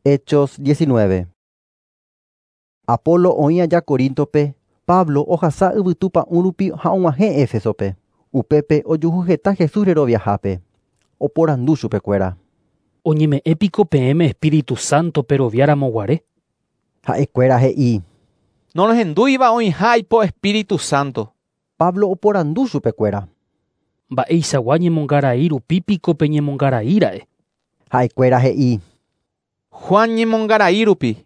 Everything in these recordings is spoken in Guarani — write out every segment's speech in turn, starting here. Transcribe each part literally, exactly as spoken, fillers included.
Hechos diecinueve. Apolo oĩ aja Corintope, Pablo ohasa yvytu pa'ũ rupi ha og̃uahẽ Éfesope. Upépe ojuhu heta Jesús reroviahápe. Oporandu chupekuéra. Oñeme'ẽ piko peẽme Espíritu Santo peroviáramo guare? Ha'ekuéra he'i. Norohendúiva oĩha aipo Espíritu Santo. Pablo oporandu chupekuéra. Mba'eichagua ñemongarai rupi piko peñemongaraíra'e? Ha'ekuéra he'i. Juan ñemongarai rupi.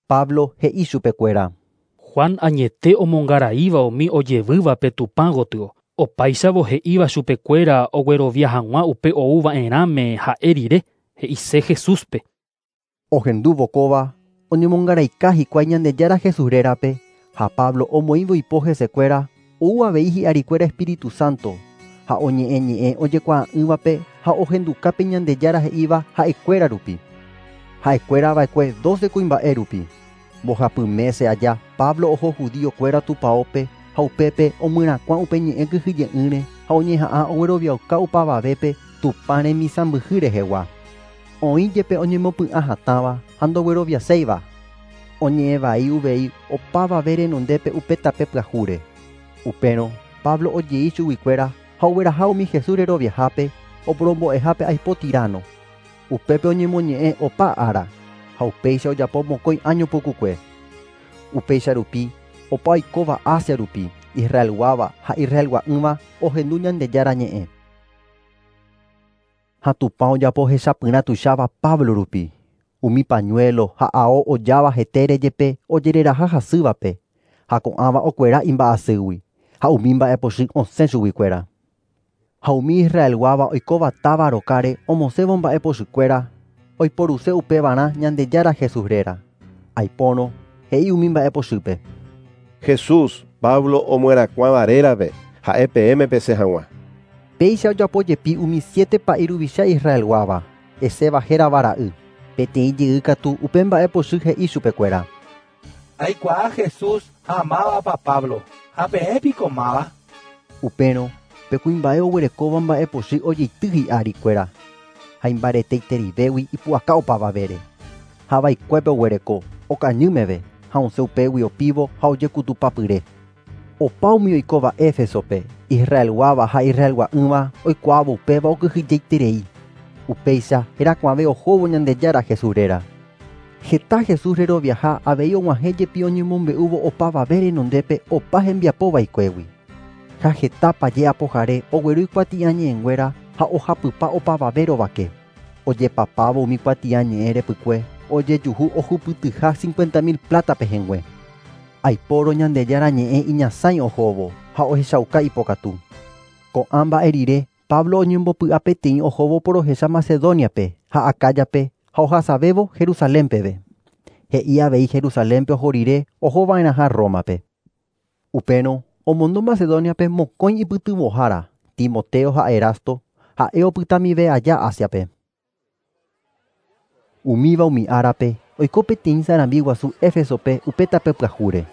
Pablo he'i chupekuéra. Juan añete omongaraíva umi ojevývape Tupã gotyo. Opáichavo he'íva chupekuéra oguerovia hag̃ua upe ouva'erãme ha'e rire, he'ise Jesúspe. Ohendúvo kóva, oñemongaraika hikuái Ñandejára Jesús rérape ha Pablo omoĩvo ipo hesekuéra ou avei hi'arikuéra Espíritu Santo ha oñe'ẽ ñe'ẽ ojekuaa'ỹvape ha ohendukápe Ñandejára he'íva ha'ekuéra rupi. Ha'ekuéra va'ekue doce kuimba'e rupi. Mbohapy mese aja Pablo oho judíokuéra tupaópe ha upépe omyrakuã upe ñe'ẽ kyhyje'ỹre ha oñeha'ã ogueroviauka upavavépe Tupã remisãmbyhy rehegua. Oĩ jepe oñemopy'ã hatãva ha ndogueroviaséiva. Oñe'ẽvai uvei opavave renondépe upe tape pyahúre. Upérõ Pablo ojei chuguikuéra ha ogueraha umi Jesús reroviahápe oporombo'ehápe aipo Tirano. Upépe oñemoñe'ẽ opa ára ha upéicha ojapo mokõi año pukukue. Upéicha rupi opa oikóva Asia rupi, Israelguáva ha Israelgua'ỹva ohendu Ñandejára ñe'ẽ. Ha Tupã ojapo hechapyrã tuicháva Pablo rupi. Umi pañuelo ha ao ojáva hetére jepe ojereraha hasývape ha ko'ãva okuera imba'asýgui ha umi mba'epochy osẽ chuguikuéra. Ha umi Israelguáva oikóva táva rokáre omosẽvo mba'epochykuéra oiporuse upevarã Ñandejára Jesús réra. Aipórõ he'i umi mba'epochýpe. Jesús, Pablo omyerakuãva rérape ha'e peẽme pesẽ hag̃ua. Péicha ojapo jepi umi siete pa'i ruvicha Israelguáva, Esceva hérava ra'y. Peteĩ jey katu upe mba'epochy he'i chupekuéra. Aikuaa Jesús ha mávapa Pablo, ha peẽ piko máva? Upérõ pe kuimba'e oguerekóva mba'epochy ojeity hi'arikuéra ha imbareteiterivégui ipu'aka opavavére. Ha vaikuépe oguereko, okañy meve ha osẽ upégui opívo ha ojekutupapyre. Opa umi oikóva Éfesope, Israelguáva ha Israelgua'ỹva oikuaávo upéva okyhyjeiterei. Upéicha herakuãve ohóvo Ñandejára Jesús réra. Heta Jesús reroviaha avei og̃uahẽ jepi oñemombe'úvo opavave renondépe opa hembiapo vaikuégui. Ha heta paje apohare ogueru ikuatiañe'ẽnguéra ha ohapypa opavave rovake. Ojepapávo umi kuatiañe'ẽ repykue ojejuhu ohupytyha cincuenta mil plata pehẽngue. Aipóro Ñandejára ñe'ẽ iñasãi ohóvo ha ohechauka ipokatu. Ko'ã mba'e rire Pablo oñembopy'a peteĩ ohóvo porohecha Macedoniape ha Acayape ha ohasavévo Jerusalénpeve. He'i avei Jerusalénpe oho rire ohova'erãha Rómape. Upérõ omondo Macedoniape mokõi ipytyvõhára, Timoteo ha Erasto, ha'e opytamive aja Asiape. Umíva umi árape oiko peteĩ sarambi guasu Éfesope upe tape pyahúre.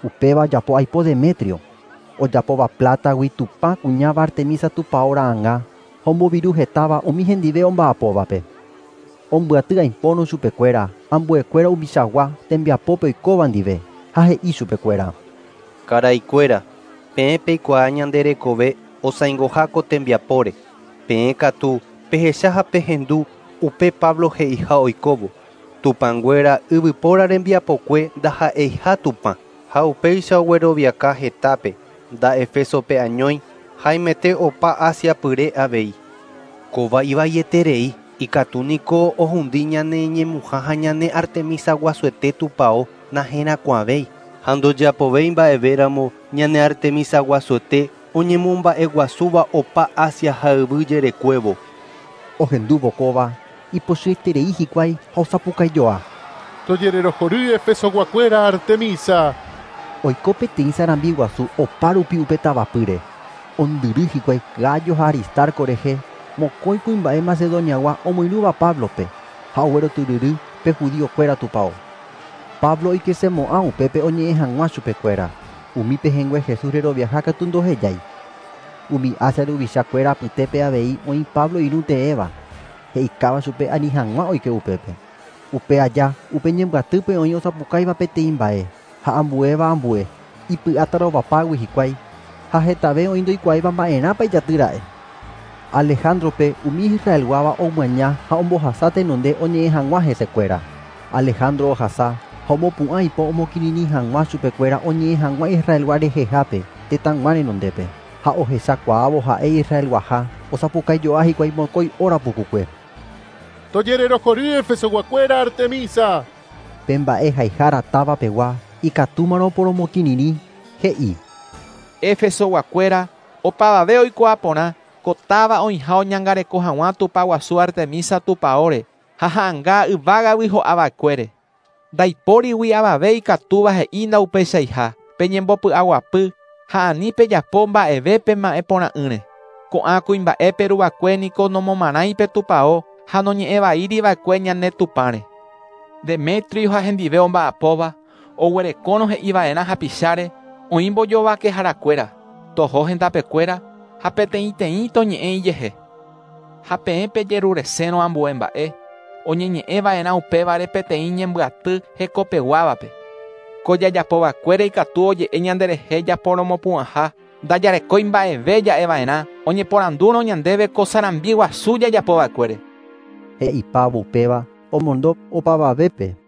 Upéva ojapo aipo Demetrio, ojapóva plátagui Tupã kuñáva Artemisa tupão ra'ãnga ha omboviru hetáva umi hendive omba'apóvape. Ombyaty aipórõ chupekuéra, ambuekuéra umichagua tembiapópe oikóva ndive ha he'i chupekuéra. Karaikuéra, peẽ peikuaa ñande rekove osãingoha ko tembiapóre. Peẽ katu pehecha ha pehendu upe Pablo he'iha oikóvo. Tupãnguéra yvypóra rembiapokue ndaha'eiha Tupã ha upéicha ogueroviaka hetápe nda Éfesope añói haimete opa Asia pyre avei. Kóva ivaieterei ikatu niko ohundi ñane ñemuha ha ñane Artemisa guasuete tupão naherakuãvéi ha ndojapovéi mba'evéramo ñane Artemisa guasuete oñemomba'eguasúva opa Asia ha yvy jerekuévo. Ohendúvo kóva ipochyeterei hikuái ha osapukaijoa. Tojererohory Efesoguakuéra Artemisa. Oiko peteĩ sarambi guasu opa rupi upe tavapýre. Ondyry hikuái Gayo ha Aristarco rehe, mokõi kuimba'e Macedoniagua omoirũva Pablope ha oguerotyryry pe judíokuéra tupão. Pablo oikesemo'ã upépe oñe'ẽ hag̃ua chupekuéra. Umi pehẽngue Jesús reroviaha katu ndohejái. Umi Asia ruvichakuéra apytépe avei oĩ Pablo irũ teéva, he'ikáva chupe ani hag̃ua oike upépe. Upe aja, upe ñembyatýpe oĩ osapukáiva peteĩ mba'e ha ambuéva ambue, ipy'atarovapágui hikuái ha hetave oĩ ndoikuaáiva mba'erãpa ijatýra'e. Alejandrope umi Israelguáva omyaña ha ombohasa tenonde oñe'ẽ hag̃ua hesekuéra. Alejandro ohasa ha omopu'ã ipo omokirirĩ hag̃ua chupekuéra oñe'ẽ hag̃ua Israelgua rehehápe tetãygua renondépe ha ohechakuaávo ha'e Israelguaha osapukaijoa hikuái mokõi óra pukukue. Tojererohory Efesoguakuéra Artemisa. Pe mba'e haihára távapegua ikatúmarõ oporomokirirĩ, he'i. Efesoguakuéra opavave oikuaa porã ko táva oĩha oñangareko hag̃ua Tupã guasu Artemisa tupãóre ha ha'ãnga yvágagui ho'ava'ekuére. Ndaipórigui avave ikatúva he'i ndaupeichaiha peñembopy'aguapy ha ani pejapo mba'eve pema'ẽporã'ỹre. Ko'ã kuimba'e peruvakue niko nomomarãi pe tupão ha noñe'ẽvaíriva'ekue ñane Tupãre. Demetrio ha hendive omba'apóva oguerekórõ he'iva'erã hapicháre oĩ mbojovakeharakuéra, toho hendapekuéra ha peteĩteĩ toñe'ẽ ijehe. Ha peẽ pejeruresérõ ambue mba'e, oñeñe'ẽva'erã upévare peteĩ ñembyaty hekopeguávape. Ko jajapovakuére ikatu oje'e ñanderehe japoromopu'ãha ndajarekói mba'eve ja'eva'erã oñeporandúrõ ñandéve ko sarambi guasu jajapova'ekuére. He'ipávo upéva omondo opavavépe.